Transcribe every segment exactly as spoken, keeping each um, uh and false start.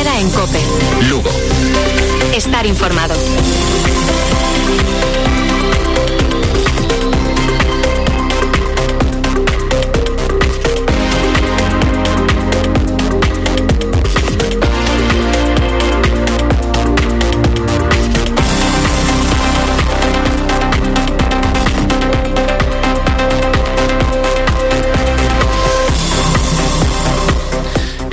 Queda en COPE. Lugo. Estar informado.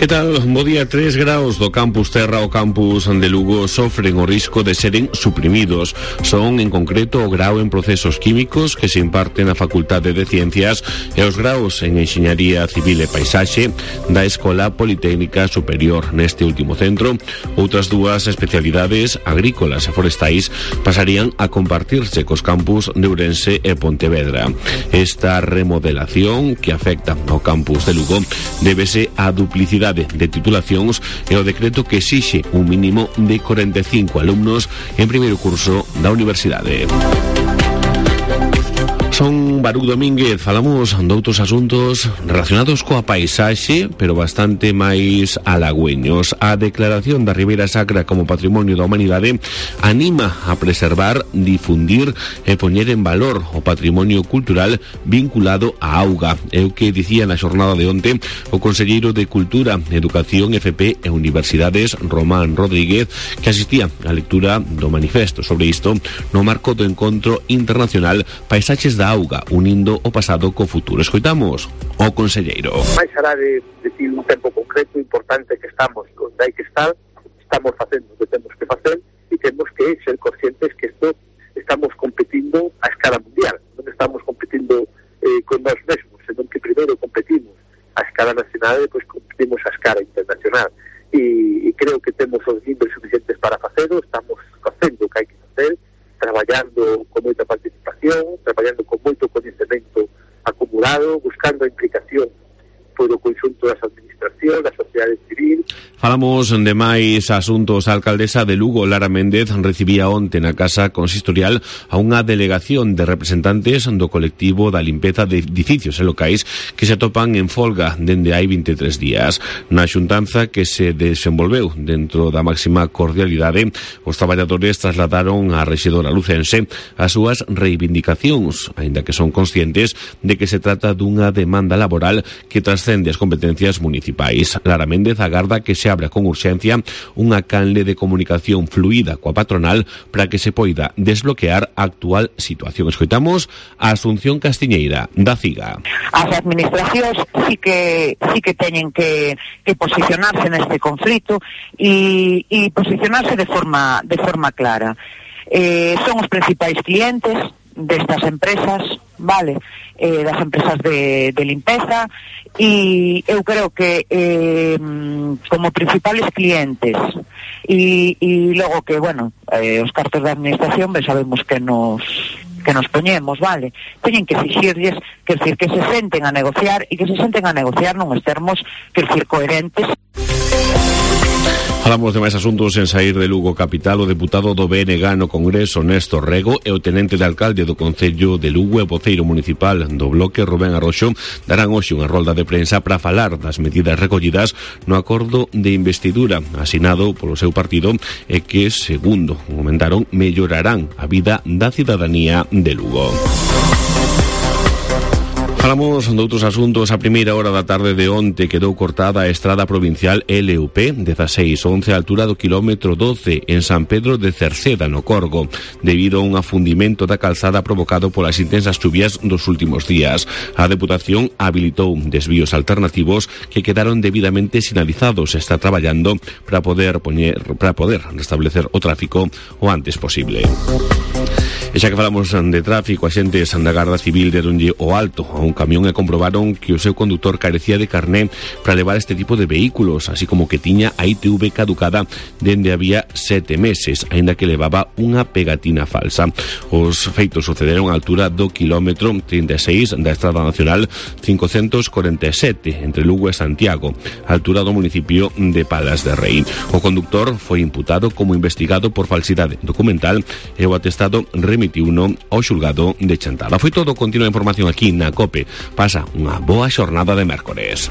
Que tal? Bo día. Tres graos do campus Terra ao campus de Lugo sofren o risco de seren suprimidos. Son, en concreto, o grao en procesos químicos que se imparte na Facultade de Ciencias e os graos en Enxeñaría Civil e Paisaxe da Escola Politécnica Superior. Neste último centro, outras dúas especialidades, agrícolas e forestais, pasarían a compartirse cos campus de Ourense e Pontevedra. Esta remodelación, que afecta ao campus de Lugo, débese á duplicidade de titulacións e o decreto que exixe un mínimo de corenta e cinco alumnos en primeiro curso da universidade. Son Baruch Domínguez, falamos de outros asuntos relacionados coa paisaxe, pero bastante máis halagüeños. A declaración da Ribeira Sacra como Patrimonio da Humanidade anima a preservar, difundir e poñer en valor o patrimonio cultural vinculado á auga. É o que dicía na xornada de onte o conselleiro de Cultura, Educación, F P e Universidades, Román Rodríguez, que asistía á lectura do manifesto sobre isto no marco do encontro internacional Paisaxes da Auga, unindo o pasado co futuro. Escoitamos o conselleiro. Mais alá de decir un tempo concreto, importante que estamos onde hai que estar, estamos facendo o que temos que facer e temos que ser conscientes que isto estamos competindo a escala mundial. Non estamos competindo eh, con nós mesmos, senón que primeiro competimos a escala nacional e depois competimos a escala internacional. E, e creo que temos os libros suficientes para facelo, estamos facendo o que hai que facer, traballando con moita participación, traballando con moito coñecemento acumulado, buscando a implicación polo conxunto das administracións, da sociedade civil. Falamos de máis asuntos. A alcaldesa de Lugo, Lara Méndez, recibía onte na Casa Consistorial a unha delegación de representantes do colectivo da limpeza de edificios e locais que se atopan en folga dende hai vinte e tres días. Na xuntanza que se desenvolveu dentro da máxima cordialidade, os traballadores trasladaron á rexedora lucense as súas reivindicacións, aínda que son conscientes de que se trata dunha demanda laboral que trascende as competencias municipais. Lara Méndez agarda que se abra con urxencia unha canle de comunicación fluida coa patronal para que se poida desbloquear a actual situación. Escoitamos a Asunción Castiñeira, da CIGA. As administracións sí que sí que teñen que, que posicionarse neste conflito e, e posicionarse de forma de forma clara. Eh, son os principais clientes destas empresas, vale, eh, das empresas de, de limpeza, e eu creo que eh, como principales clientes e, e logo que, bueno, eh, os cartos da administración ben sabemos que nos que nos poñemos, vale, teñen que exixirlles, que decir, que se senten a negociar e que se senten a negociar nuns termos, que decir, coherentes. Falamos de máis asuntos en saír de Lugo capital. O deputado do B N G no Congreso, Néstor Rego, e o tenente de alcalde do Concello de Lugo e o voceiro municipal do Bloque, Rubén Arroxo, darán hoxe unha rolda de prensa para falar das medidas recollidas no acordo de investidura asinado polo seu partido e que, segundo comentaron, mellorarán a vida da cidadanía de Lugo. Falamos de outros asuntos. A primeira hora da tarde de onte quedou cortada a estrada provincial L U P dezasseis once a altura do kilómetro doce en San Pedro de Cerceda, no Corgo, debido a un afundimento da calzada provocado polas intensas chuvias dos últimos días. A Deputación habilitou desvíos alternativos que quedaron debidamente sinalizados e está traballando para poder poñer, para poder restablecer o tráfico o antes posible. E xa que falamos de tráfico, a xentes da Garda Civil deronlle o alto a un camión e comprobaron que o seu conductor carecía de carné para levar este tipo de vehículos, así como que tiña a I T V caducada dende había sete meses, aínda que levaba unha pegatina falsa. Os feitos sucederon á altura do kilómetro trinta e seis da Estrada Nacional cincocentos corenta e sete entre Lugo e Santiago, á altura do municipio de Palas de Rei. O conductor foi imputado como investigado por falsidade documental e o atestado remitiuno ao xulgado de Chantada. Foi todo. Continua a información aquí na COPE. Pasa unha boa xornada de mércores.